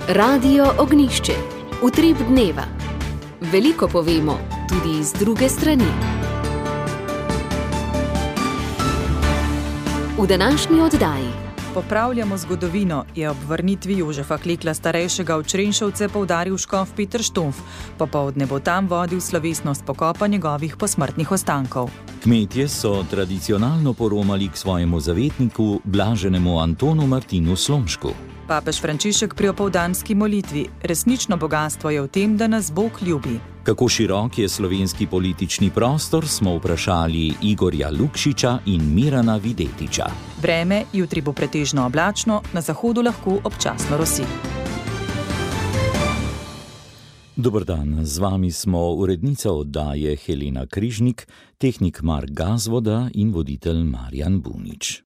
Radio Ognišče, utrip dneva. Veliko povemo, tudi z druge strani. V današnji oddaji Popravljamo zgodovino, je ob vrnitvi Jožefa Klekla starejšega v Črenšovce poudaril škof Peter Štumpf. Popoldne bo tam vodil slovesnost pokopa njegovih posmrtnih ostankov. Kmetje so tradicionalno poromali k svojemu zavetniku, blaženemu Antonu Martinu Slomšku. Papež Frančišek pri opoldanski molitvi: resnično bogastvo je v tem, da nas Bog ljubi. Kako širok je slovenski politični prostor, smo vprašali Igorja Lukšiča in Mirana Videtiča. Vreme, jutri bo pretežno oblačno, na zahodu lahko občasno rosi. Dober dan, z vami smo urednica oddaje Helena Križnik, tehnik Mark Gazvoda in voditelj Marjan Bunič.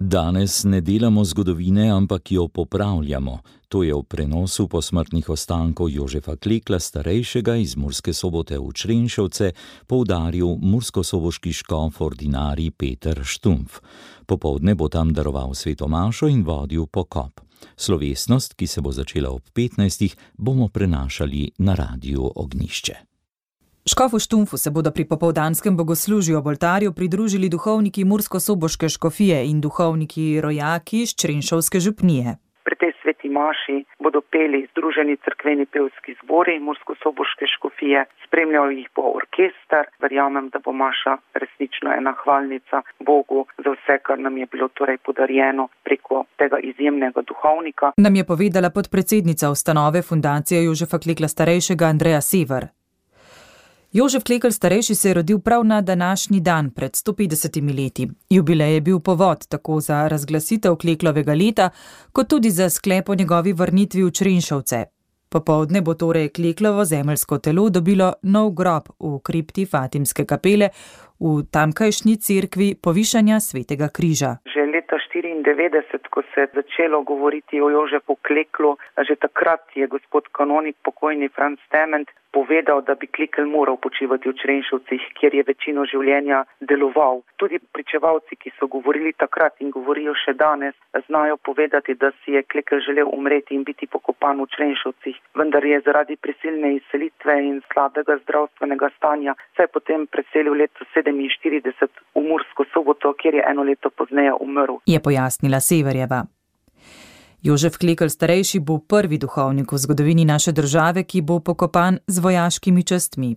Danes ne delamo zgodovine, ampak jo popravljamo. To je v prenosu posmrtnih ostankov Jožefa Klekla starejšega iz Murske Sobote v Črenšovce poudaril murskosoboški škof ordinarij Peter Štumpf. Popoldne bo tam daroval sveto mašo in vodil pokop. Slovesnost, ki se bo začela ob 15, bomo prenašali na Radiu Ognišče. Škofu Štumpfu se bodo pri popoldanskem bogoslužju ob oltarju pridružili duhovniki Murskosoboške škofije in duhovniki rojaki iz Črenšovske župnije. Pri tej sveti maši bodo peli združeni cerkveni pevski zbori Murskosoboške škofije, spremljal jih bo orkester. Verjamem, da bo maša resnično ena hvalnica Bogu za vse, kar nam je bilo torej podarjeno preko tega izjemnega duhovnika. Nam je povedala podpredsednica ustanove Fundacije Jožefa Klekla starejšega Andreja Sever. Jožef Klekl starejši se je rodil prav na današnji dan pred 150 leti. Jubilej je bil povod tako za razglasitev Kleklovega leta, kot tudi za sklep o njegovi vrnitvi v Črenšovce. Popoldne bo torej Kleklovo zemeljsko telo dobilo nov grob v kripti Fatimske kapele v tamkajšnji cerkvi Povišanja svetega križa. Že leta 1994, ko se je začelo govoriti o Jožefu Kleklu, že takrat je gospod kanonik pokojni Franc Tement povedal, da bi Klekl moral počivati v Črenšovcih, kjer je večino življenja deloval. Tudi pričevalci, ki so govorili takrat in govorijo še danes, znajo povedati, da si je Klekl želel umreti in biti pokopan v Črenšovcih, vendar je zaradi prisilne izselitve in slabega zdravstvenega stanja se je potem preselil leto 47 v Mursko Soboto, kjer je eno leto pozneje umrl. Je pojasnila Severjeva. Jožef Klekl starejši bo prvi duhovnik v zgodovini naše države, ki bo pokopan z vojaškimi častmi.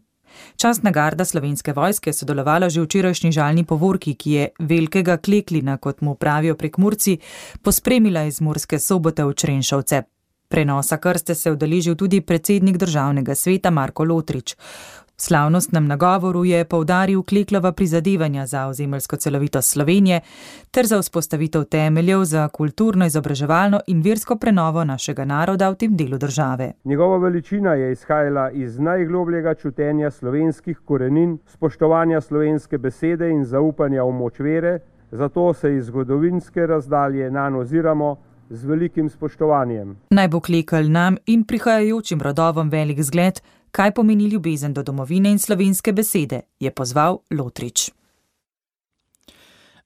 Častna garda Slovenske vojske je sodelovala že v včerajšnji žalni povorki, ki je velikega Kleklina, kot mu pravijo Prekmurci, pospremila iz Murske Sobote v Črenšovce. Prenosa krste se je udeležil tudi predsednik državnega sveta Marko Lotrič. V slavnostnem nagovoru je poudaril Kleklova prizadevanja za ozemeljsko celovitost Slovenije ter za vzpostavitev temeljev za kulturno, izobraževalno in versko prenovo našega naroda v tem delu države. Njegova veličina je izhajala iz najglobljega čutenja slovenskih korenin, spoštovanja slovenske besede in zaupanja v moč vere, zato se iz zgodovinske razdalje nanj oziramo z velikim spoštovanjem. Naj bo Klekl nam in prihajajočim rodovom velik zgled, kaj pomeni ljubezen do domovine in slovenske besede, je pozval Lotrič.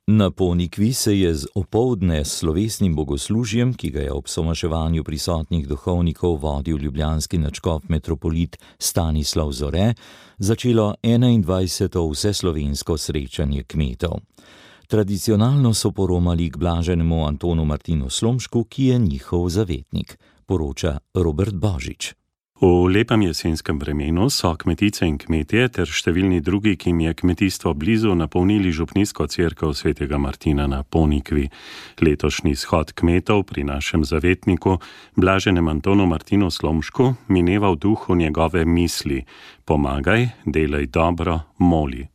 Na Ponikvi se je z opoldne slovesnim bogoslužjem, ki ga je ob somaševanju prisotnih duhovnikov vodil ljubljanski nadškof metropolit Stanislav Zore, začelo 21. vseslovensko srečanje kmetov. Tradicionalno so poromali k blaženemu Antonu Martinu Slomšku, ki je njihov zavetnik, poroča Robert Božič. V lepem jesenskem vremenu so kmetice in kmetje ter številni drugi, ki jim je kmetijstvo blizu, napolnili župnijsko cerkev svetega Martina na Ponikvi. Letošnji shod kmetov pri našem zavetniku, blaženem Antonu Martinu Slomšku, mineva v duhu njegove misli: pomagaj, delaj dobro, moli.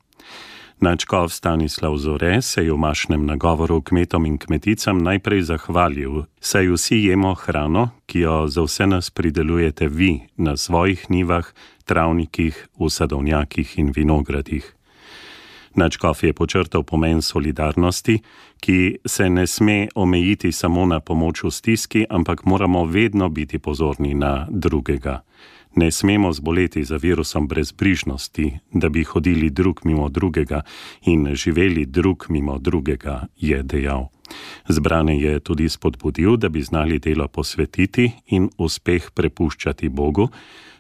Nadškof Stanislav Zore se je v mašnem nagovoru kmetom in kmeticam najprej zahvalil, saj vsi jemo hrano, ki jo za vse nas pridelujete vi na svojih njivah, travnikih, v sadovnjakih in vinogradih. Nadškof je počrtal pomen solidarnosti, ki se ne sme omejiti samo na pomoč v stiski, ampak moramo vedno biti pozorni na drugega. Ne smemo zboleti za virusom brezbrižnosti, da bi hodili drug mimo drugega in živeli drug mimo drugega, je dejal. Zbrane je tudi spodbudil, da bi znali delo posvetiti in uspeh prepuščati Bogu,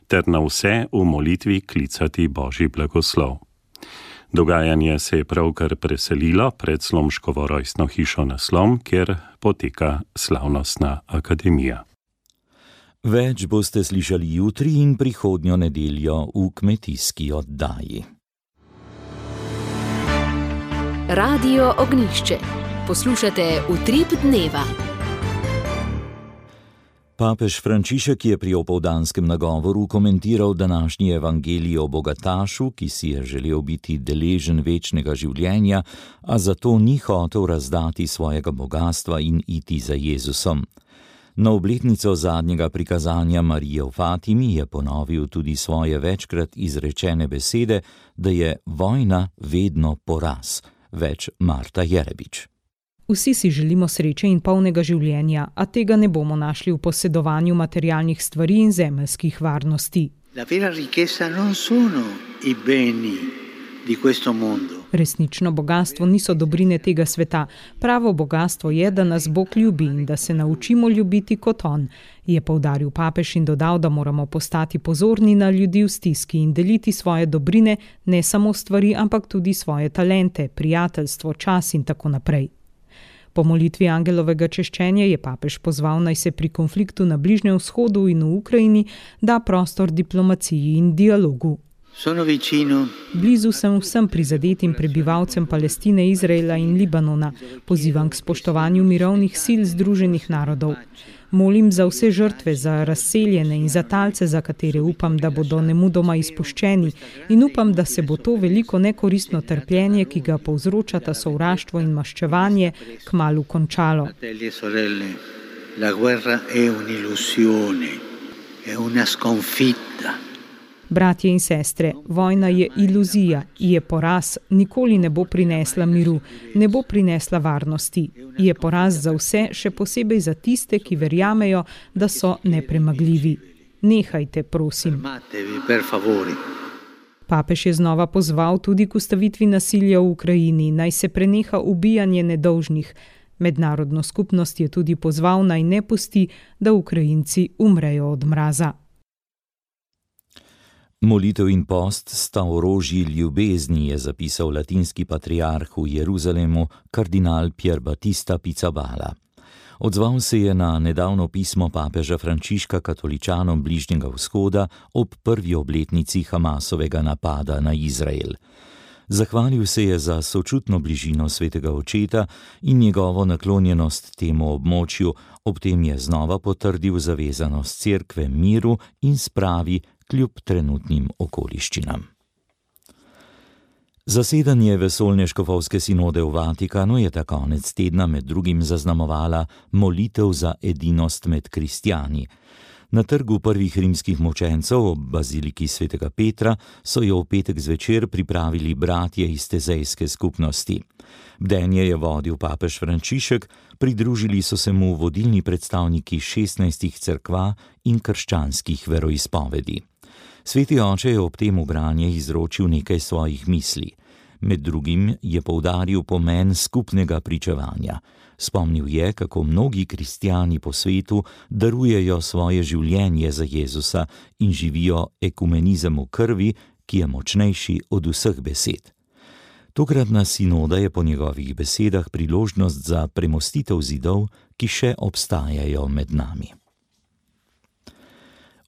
ter na vse v molitvi klicati Božji blagoslov. Dogajanje se je pravkar preselilo pred Slomškovo rojstno hišo na Slom, kjer poteka slavnostna akademija. Več boste slišali jutri in prihodnjo nedeljo v kmetijski oddaji. Radio Ognjišče. Poslušate Utrip dneva. Papež Frančišek je pri opoldanskem nagovoru komentiral današnji evangelij o bogatašu, ki si je želel biti deležen večnega življenja, a zato ni hotel razdati svojega bogastva in iti za Jezusom. Na obletnico zadnjega prikazanja Marije v Fatimi je ponovil tudi svoje večkrat izrečene besede, da je vojna vedno poraz. Več Marta Jerebič. Vsi si želimo sreče in polnega življenja, a tega ne bomo našli v posedovanju materialnih stvari in zemeljskih varnosti. La vera ricchezza non sono i beni di questo mondo. Resnično bogastvo niso dobrine tega sveta. Pravo bogastvo je, da nas Bog ljubi in da se naučimo ljubiti kot On, je poudaril papež in dodal, da moramo postati pozorni na ljudi v stiski in deliti svoje dobrine, ne samo stvari, ampak tudi svoje talente, prijateljstvo, čas in tako naprej. Po molitvi angelovega češčenja je papež pozval, naj se pri konfliktu na Bližnjem vzhodu in v Ukrajini da prostor diplomaciji in dialogu. Blizu sem vsem prizadetim prebivalcem Palestine, Izraela in Libanona. Pozivam k spoštovanju mirovnih sil Združenih narodov. Molim za vse žrtve, za razseljene in za talce, za katere upam, da bodo nemudoma izpuščeni, in upam, da se bo to veliko nekoristno trpljenje, ki ga povzročata sovraštvo in maščevanje, kmalu končalo. La guerra è un'illusione, è una sconfitta. Bratje in sestre, vojna je iluzija, je poraz, nikoli ne bo prinesla miru, ne bo prinesla varnosti. Je poraz za vse, še posebej za tiste, ki verjamejo, da so nepremagljivi. Nehajte, prosim. Papež je znova pozval tudi k ustavitvi nasilja v Ukrajini, naj se preneha ubijanje nedolžnih. Mednarodno skupnost je tudi pozval, naj ne pusti, da Ukrajinci umrejo od mraza. Molitev in post sta orožji ljubezni, je zapisal latinski patriarh v Jeruzalemu, kardinal Pier Battista Pizzaballa. Odzval se je na nedavno pismo papeža Frančiška katoličanom Bližnjega vzhoda ob prvi obletnici Hamasovega napada na Izrael. Zahvalil se je za sočutno bližino svetega očeta in njegovo naklonjenost temu območju, ob tem je znova potrdil zavezanost cerkve miru in spravi kljub trenutnim okoliščinam. Zasedanje vesoljne škofovske sinode v Vatikanu je ta konec tedna med drugim zaznamovala molitev za edinost med kristjani. Na trgu prvih rimskih mučencev ob baziliki svetega Petra so jo v petek zvečer pripravili bratje iz tezejske skupnosti. Bdenje je vodil papež Frančišek, pridružili so se mu vodilni predstavniki 16 cerkva in krščanskih veroizpovedi. Sveti oče je ob tem v branje izročil nekaj svojih misli. Med drugim je poudaril pomen skupnega pričevanja. Spomnil je, kako mnogi kristjani po svetu darujejo svoje življenje za Jezusa in živijo ekumenizem v krvi, ki je močnejši od vseh besed. Tokratna sinoda je po njegovih besedah priložnost za premostitev zidov, ki še obstajajo med nami.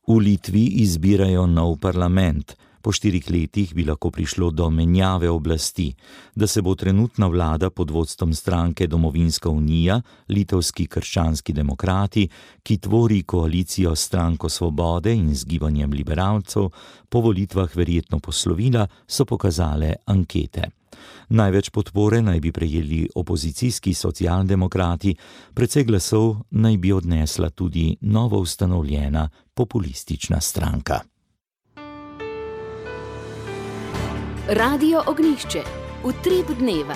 V Litvi izbirajo nov parlament. Po 4 letih bi lahko prišlo do menjave oblasti. Da se bo trenutna vlada pod vodstvom stranke Domovinska unija, litovski krščanski demokrati, ki tvori koalicijo s stranko Svobode in z gibanjem liberalcev, po volitvah verjetno poslovila, so pokazale ankete. Največ podpore naj bi prejeli opozicijski socialdemokrati, precej glasov naj bi odnesla tudi novo ustanovljena populistična stranka. Radio Ognjišče. Utrip dneva.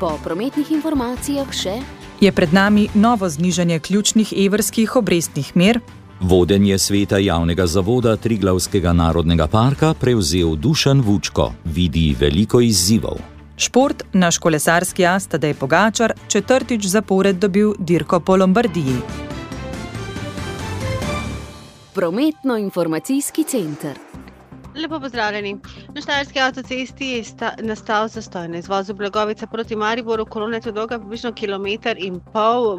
Po prometnih informacijah še... Je pred nami novo znižanje ključnih evrskih obrestnih mer, Vodenje sveta javnega zavoda Triglavskega narodnega parka prevzel Dušan Vučko, vidi veliko izzivov. Šport, naš kolesarski as Tadej Pogačar, 4. zapored dobil dirko po Lombardiji. Prometno-informacijski center. Lepo pozdravljeni. Na štajerski avtocesti je nastal zastoj na izvozu Blagovica proti Mariboru. Kolona je dolga približno 1,5 kilometra.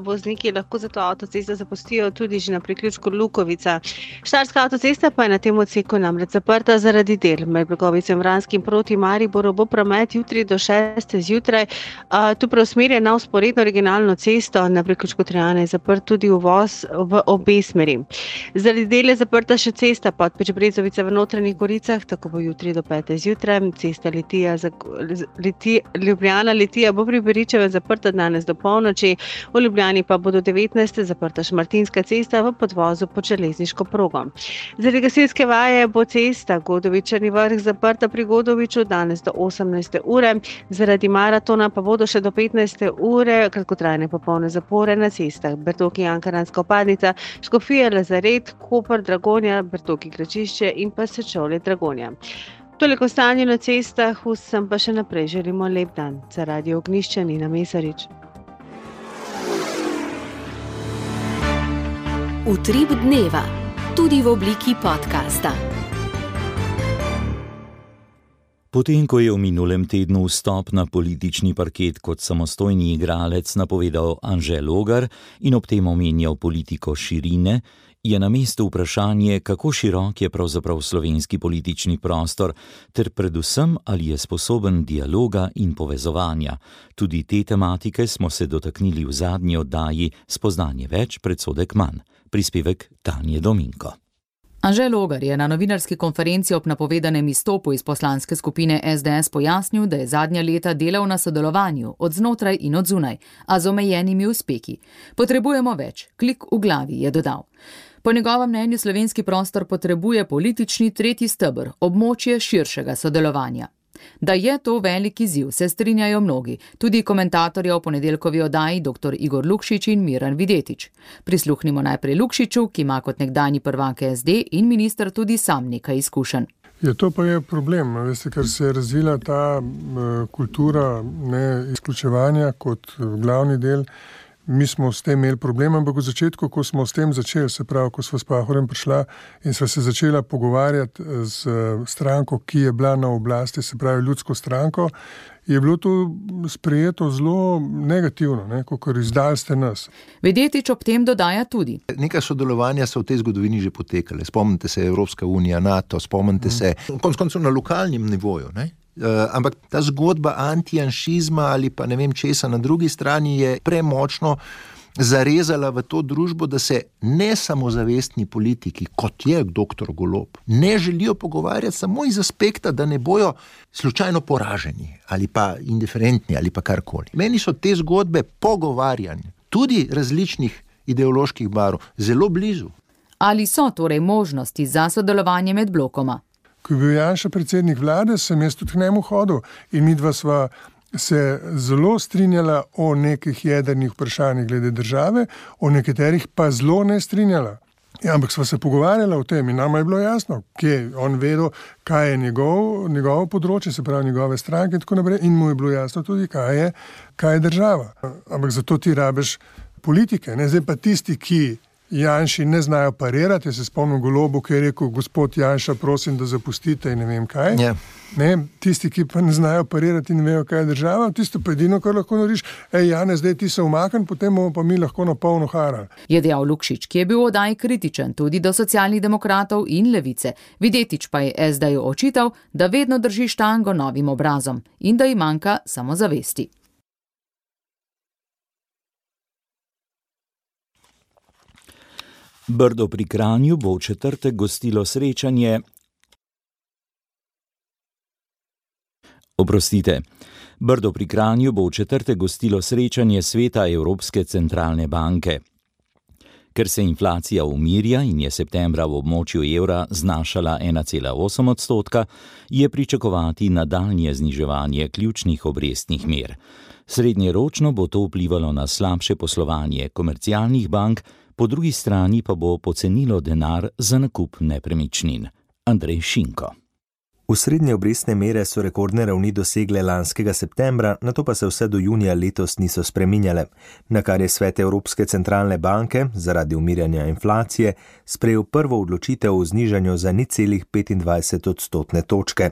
Vozniki lahko zato avtocesto zapustijo tudi že na priključku Lukovica. Štajerska avtocesta pa je na tem odseku namreč zaprta zaradi del. Med Blagovicem Vranskim proti Mariboru bo promet jutri do 6. zjutraj. Tu preusmerja na vzporedno regionalno cesto. Na priključku Trojane je zaprt tudi uvoz v obe smeri. Zaradi del je zaprta še cesta Podpeč-Brezovica v Notranjih Goricah. Tako bo jutri do 5. zjutraj. Cesta Ljubljana-Litija bo pri Beričevem zaprta danes do polnoči. V Ljubljani pa bo do 19. zaprta Šmartinska cesta v podvozu pod železniško progo. Zaradi gasilske vaje bo cesta Godovič-Črni Vrh zaprta pri Godoviču danes do 18. ure. Zaradi maratona pa bodo še do 15. ure kratkotrajne popolne zapore na cestah Bertoki-Ankaranska vpadnica, Škofija-Lazaret, Koper, Dragonja, Bertoki-Gračišče in pa Sečovlje Dragonja. Toliko stanje na cestah, vsem pa še naprej želimo lep dan. Za Radio Ognjišče Nina Mesarič. Utrip dneva, tudi v obliki podcasta. Potem, ko je v minulem tednu vstop na politični parket kot samostojni igralec napovedal Anže Logar in ob tem omenjal politiko širine, je na mestu vprašanje, kako širok je pravzaprav slovenski politični prostor, ter predvsem, ali je sposoben dialoga in povezovanja. Tudi te tematike smo se dotaknili v zadnji oddaji Spoznanje več, predsodek manj. Prispevek Tanje Dominko. Anže Logar je na novinarski konferenci ob napovedanem izstopu iz poslanske skupine SDS pojasnil, da je zadnja leta delal na sodelovanju od znotraj in od zunaj, a z omejenimi uspehi. Potrebujemo več, klik v glavi, je dodal. Po njegovem mnenju slovenski prostor potrebuje politični tretji steber, območje širšega sodelovanja. Da je to velik izziv, se strinjajo mnogi, tudi komentatorja v ponedeljkovi oddaji dr. Igor Lukšič in Miran Videtič. Prisluhnimo najprej Lukšiču, ki ima kot nekdanji prvak SD in minister tudi sam nekaj izkušenj. To pa je problem, ker se je razvila ta kultura izključevanja kot glavni del. Mi smo s tem imeli problem, ampak v začetku, ko smo s tem začeli, se pravi, ko sva s Pahorjem prišla in sva se začela pogovarjati z stranko, ki je bila na oblasti, se pravi ljudsko stranko, je bilo to sprejeto zelo negativno, kakor izdali ste nas. Videtič ob tem dodaja tudi. Nekaj sodelovanja so v tej zgodovini že potekale. Spomnite se Evropska unija, NATO, spomnite se konec koncev na lokalnem nivoju, ampak ta zgodba antijanšizma ali pa ne vem česa na drugi strani je premočno zarezala v to družbo, da se nesamozavestni politiki, kot je dr. Golob, ne želijo pogovarjati samo iz aspekta, da ne bojo slučajno poraženi ali pa indiferentni ali pa karkoli. Meni so te zgodbe pogovarjanja, tudi različnih ideoloških barv, zelo blizu. Ali so torej možnosti za sodelovanje med blokoma? Ko je bil Janša predsednik vlade, sem jaz tudi k njemu hodil in midva sva se zelo strinjala o nekih jedrnih vprašanjih glede države, o nekaterih pa zelo ne strinjala. Ampak sva se pogovarjala o tem in nama je bilo jasno, kje on vedel, kaj je njegovo področje, se pravi njegove stranke in tako naprej, in mu je bilo jasno tudi, kaj je država. Ampak zato ti rabeš politike, Zdaj pa tisti, ki Janši ne znajo parirati. Jaz se spomnim Golobu, ki je rekel, gospod Janša, prosim, da zapustite in ne vem kaj. Tisti, ki pa ne znajo parirati in ne vejo, kaj je država, tisto pa edino, kar lahko narediš, Janez, zdaj ti se umakni, potem bomo pa mi lahko na polno harali. Je dejal Lukšič, ki je bil v oddaji kritičen tudi do Socialnih demokratov in Levice. Videtič pa je SD-ju očital, da vedno drži štango novim obrazom in da ji manjka samozavesti. Brdo pri Kranju bo v četrtek gostilo srečanje. Brdo pri Kranju bo v četrtek gostilo srečanje sveta Evropske centralne banke. Ker se inflacija umirja in je septembra v območju evra znašala 1,8%, je pričakovati nadaljnje zniževanje ključnih obrestnih mer. Srednjeročno bo to vplivalo na slabše poslovanje komercialnih bank, po drugi strani pa bo pocenilo denar za nakup nepremičnin. Andrej Šinko. Osrednje obrestne mere so rekordne ravni dosegle lanskega septembra, nato pa se vse do junija letos niso spreminjale, na kar je svet Evropske centralne banke zaradi umirjanja inflacije sprejel prvo odločitev o znižanju za 0,25 odstotne točke.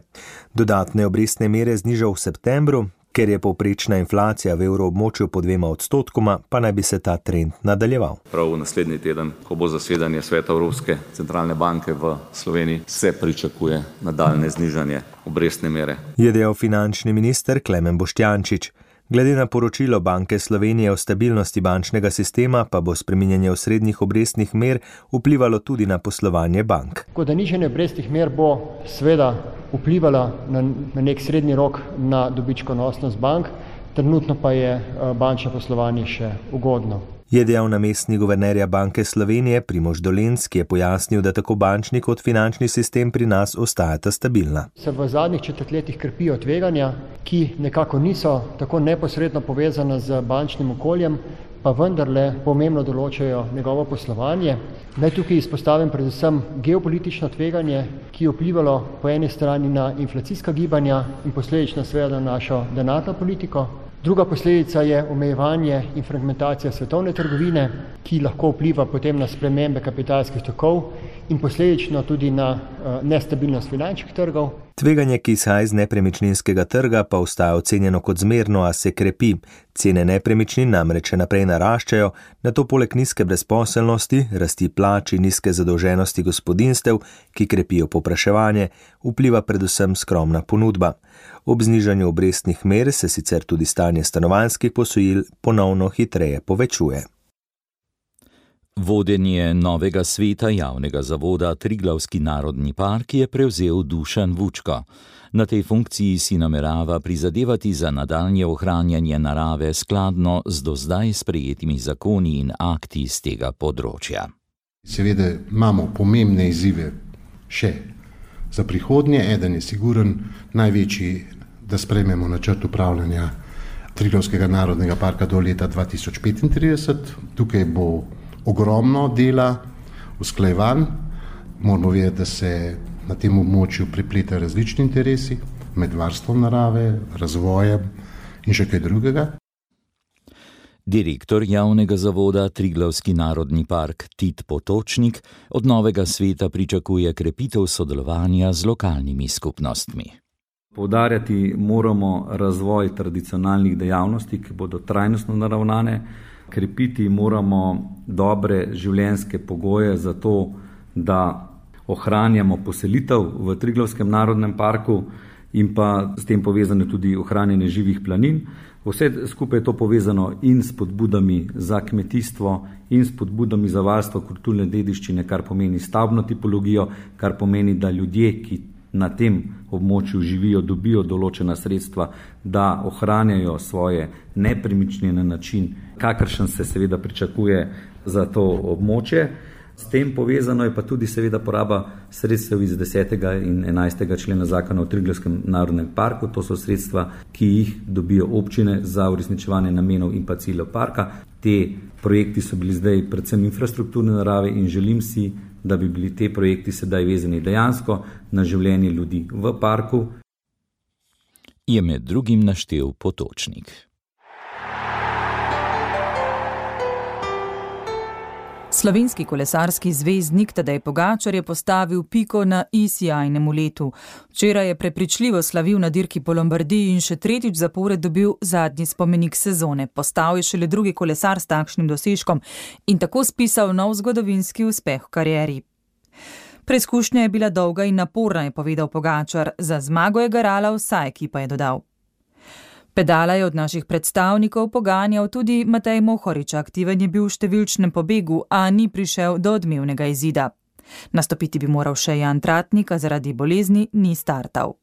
Dodatne obrestne mere znižal v septembru, ker je povprečna inflacija v evroobmočju po 2%, pa naj bi se ta trend nadaljeval. Prav naslednji teden, ko bo zasedanje sveta Evropske centralne banke v Sloveniji, se pričakuje nadaljne znižanje obrestne mere. Je dejal finančni minister Klemen Boštjančič. Glede na poročilo Banke Slovenije o stabilnosti bančnega sistema pa bo spreminjanje osrednjih obrestnih mer vplivalo tudi na poslovanje bank. Tako da nižanje obrestnih mer bo seveda vplivalo na nek srednji rok na dobičkonosnost bank, trenutno pa je bančno poslovanje še ugodno. Je dejal namestnik guvernerja Banke Slovenije Primož Dolenc, ki je pojasnil, da tako bančni kot finančni sistem pri nas ostajata stabilna. Se v zadnjih četrtletjih krepijo tveganja, ki nekako niso tako neposredno povezana z bančnim okoljem, pa vendarle pomembno določajo njegovo poslovanje. Naj tukaj izpostavim predvsem geopolitično tveganje, ki je vplivalo po eni strani na inflacijska gibanja in posledično seveda na našo denarno politiko. Druga posledica je omejevanje in fragmentacija svetovne trgovine, ki lahko vpliva potem na spremembe kapitalskih tokov in posledično tudi na nestabilnost finančnih trgov. Tveganje, ki izhaja iz nepremičninskega trga, pa ostaja ocenjeno kot zmerno, a se krepi. Cene nepremičnin namreč naprej naraščajo, nato poleg nizke brezposelnosti, rasti plač in nizke zadolženosti gospodinjstev, ki krepijo povpraševanje, vpliva predvsem skromna ponudba. Ob znižanju obrestnih mer se sicer tudi stanje stanovanjskih posojil ponovno hitreje povečuje. Vodenje novega sveta javnega zavoda Triglavski narodni park je prevzel Dušan Vučko. Na tej funkciji si namerava prizadevati za nadaljnje ohranjanje narave skladno z do zdaj sprejetimi zakoni in akti z tega področja. Seveda imamo pomembne izzive še za prihodnje. Eden je siguren največji, da sprejmemo načrt upravljanja Triglavskega narodnega parka do leta 2035. Tukaj bo ogromno dela, usklajevanj. Moramo vedeti, da se na tem območju prepletajo različni interesi med varstvom narave, razvojem in še kaj drugega. Direktor javnega zavoda Triglavski narodni park Tit Potočnik od novega sveta pričakuje krepitev sodelovanja z lokalnimi skupnostmi. Poudarjati moramo razvoj tradicionalnih dejavnosti, ki bodo trajnostno naravnane. Krepiti moramo dobre življenjske pogoje za to, da ohranjamo poselitev v Triglavskem narodnem parku in pa s tem povezano tudi ohranjanje živih planin. Vse skupaj je to povezano in s spodbudami za kmetijstvo in s spodbudami za varstvo kulturne dediščine, kar pomeni stavbno tipologijo, kar pomeni, da ljudje, ki na tem območju živijo, dobijo določena sredstva, da ohranjajo svoje nepremičnine na način, kakršen se seveda pričakuje za to območje. S tem povezano je pa tudi seveda poraba sredstev iz 10. in 11. člena zakona o Triglavskem narodnem parku. To so sredstva, ki jih dobijo občine za uresničevanje namenov in pa ciljev parka. Te projekti so bili zdaj predvsem infrastrukturne narave in želim si, da bi bili te projekti sedaj vezani dejansko na življenje ljudi v parku. Je med drugim naštel Potočnik. Slovenski kolesarski zvezdnik Tadej Pogačar je postavil piko na i sijajnemu letu. Včeraj je prepričljivo slavil na dirki po Lombardiji in še tretjič zapored dobil zadnji spomenik sezone. Postal je šele drugi kolesar s takšnim dosežkom in tako spisal nov zgodovinski uspeh v karieri. Preizkušnja je bila dolga in naporna, je povedal Pogačar. Za zmago je garala vsa ekipa, je dodal. Pedala je od naših predstavnikov poganjal tudi Matej Mohorič. Aktiven je bil v številčnem pobegu, a ni prišel do odmevnega izida. Nastopiti bi moral še Jan Tratnik, a zaradi bolezni ni startal.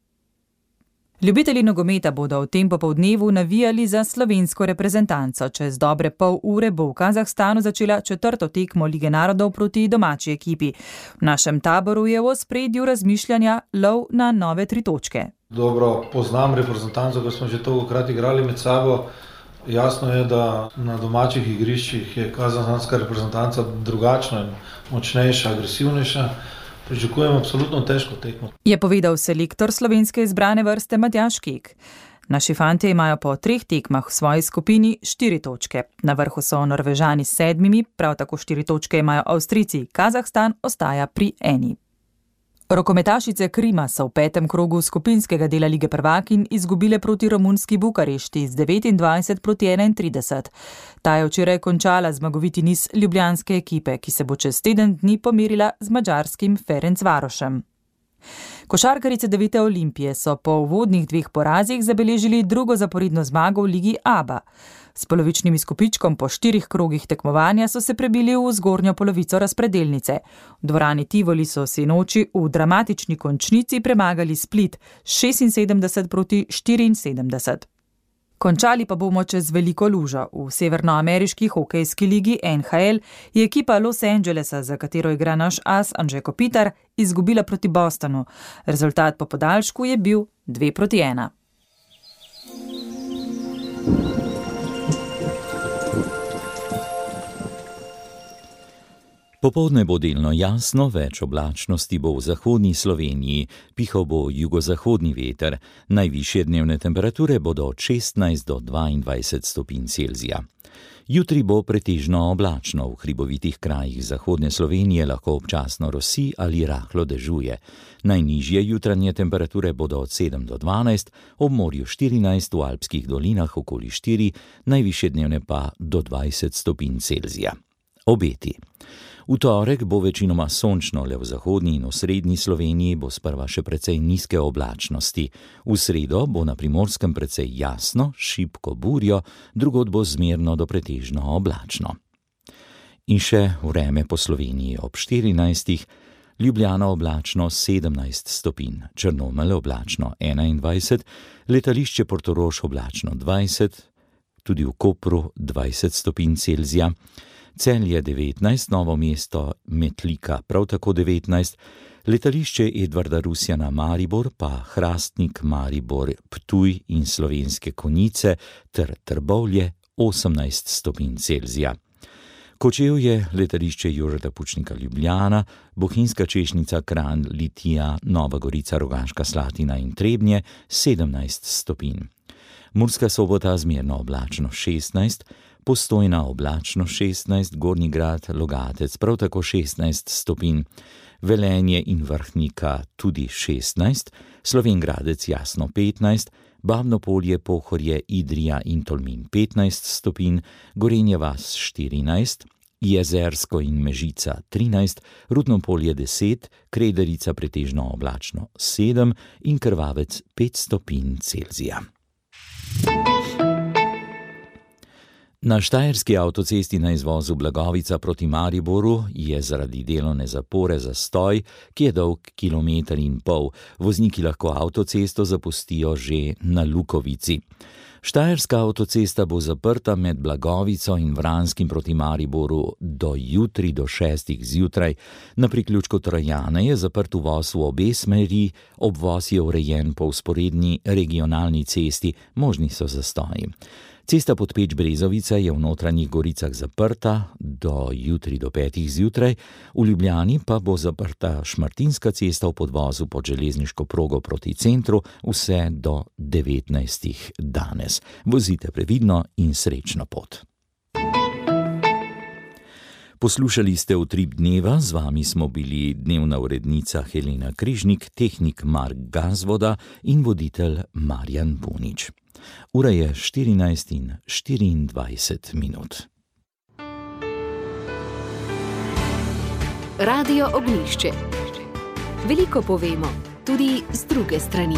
Ljubitelji nogometa bodo v tem popoldnevu navijali za slovensko reprezentanco. Čez dobre pol ure bo v Kazahstanu začela 4. tekmo Lige narodov proti domači ekipi. V našem taboru je v ospredju razmišljanja lov na nove 3 točke. Dobro poznam reprezentanco, ker smo že tolikokrat igrali med sabo Jasno je, da na domačih igriščih je kazahstanska reprezentanca drugačna in močnejša, agresivnejša. Pričakujem absolutno težko tekmo. Je povedal selektor slovenske izbrane vrste Matjaž Kek. Naši fantje imajo po 3 tekmah v svoji skupini 4 točke. Na vrhu so Norvežani s 7, prav tako 4 točke imajo Avstrijci, Kazahstan ostaja pri 1. Rokometašice Krima so v 5. krogu skupinskega dela Lige prvakinj izgubile proti romunski Bukarešti z 29-31. Ta je včeraj končala zmagoviti niz ljubljanske ekipe, ki se bo čez teden dni pomerila z madžarskim Ferencvarošem. Košarkarice 9. Olimpije so po uvodnih 2 porazih zabeležili drugo zaporedno zmago v Ligi ABA. S polovičnim izkupičkom po 4 krogih tekmovanja so se prebili v zgornjo polovico razpredelnice. V dvorani Tivoli so sinoči v dramatični končnici premagali Split 76-74. Končali pa bomo čez veliko lužo. V severnoameriški hokejski ligi NHL je ekipa Los Angelesa, za katero igra naš as Anže Kopitar, izgubila proti Bostonu. Rezultat po podaljšku je bil 2-1. Popoldne bo delno jasno, več oblačnosti bo v zahodni Sloveniji, pihal bo jugozahodni veter, najvišje dnevne temperature bodo od 16 do 22 stopinj Celzija. Jutri bo pretežno oblačno, v hribovitih krajih zahodne Slovenije lahko občasno rosi ali rahlo dežuje. Najnižje jutranje temperature bodo od 7 do 12, ob morju 14, v alpskih dolinah okoli 4, najvišje dnevne pa do 20 stopinj Celzija. Obeti. V torek bo večinoma sončno, le v zahodni in osrednji Sloveniji bo sprva še precej nizke oblačnosti. V sredo bo na Primorskem precej jasno, šibko burjo, drugod bo zmerno do pretežno oblačno. In še vreme po Sloveniji ob 14, Ljubljana oblačno 17 stopinj, Črnomelj oblačno 21, letališče Portorož oblačno 20, tudi v Kopru 20 stopinj Celzija, Celje 19, Novo mesto Metlika prav tako 19, letališče Edvarda Rusjana Maribor pa Hrastnik, Maribor, Ptuj in Slovenske Konjice ter Trbovlje 18 stopinj Celzija. Kočevje, letališče Jožeta Pučnika Ljubljana, Bohinjska Češnica, Kranj, Litija, Nova Gorica, Rogaška Slatina in Trebnje 17 stopinj. Murska Sobota zmerno oblačno 16, Postojna oblačno 16, Gornji Grad, Logatec prav tako 16 stopinj, Velenje in Vrhnika tudi 16, Slovenj Gradec jasno 15, Babno Polje, Pohorje, Idrija in Tolmin 15 stopinj, Gorenje vas 14, Jezersko in Mežica 13, Rudno Polje 10, Krederica pretežno oblačno 7 in Krvavec 5 stopinj Celzija. Na štajerski avtocesti na izvozu Blagovica proti Mariboru je zaradi delovne zapore zastoj, ki je dolg 1,5 km. Vozniki lahko avtocesto zapustijo že na Lukovici. Štajerska avtocesta bo zaprta med Blagovico in Vranskim proti Mariboru do jutri do 6 zjutraj. Na priključku Trojane je zaprt uvoz v obe smeri, obvoz je urejen po vzporedni regionalni cesti, možni so zastoji. Cesta Podpeč-Brezovica je v Notranjih Goricah zaprta do jutri do 5 zjutraj, v Ljubljani pa bo zaprta Šmartinska cesta v podvozu pod železniško progo proti centru vse do 19 danes. Vozite previdno in srečno pot. Poslušali ste Utrip dneva, z vami smo bili dnevna urednica Helena Križnik, tehnik Mark Gazvoda in voditelj Marjan Punič. Ura je 14:24. Radio Ognjišče. Veliko povemo, tudi z druge strani.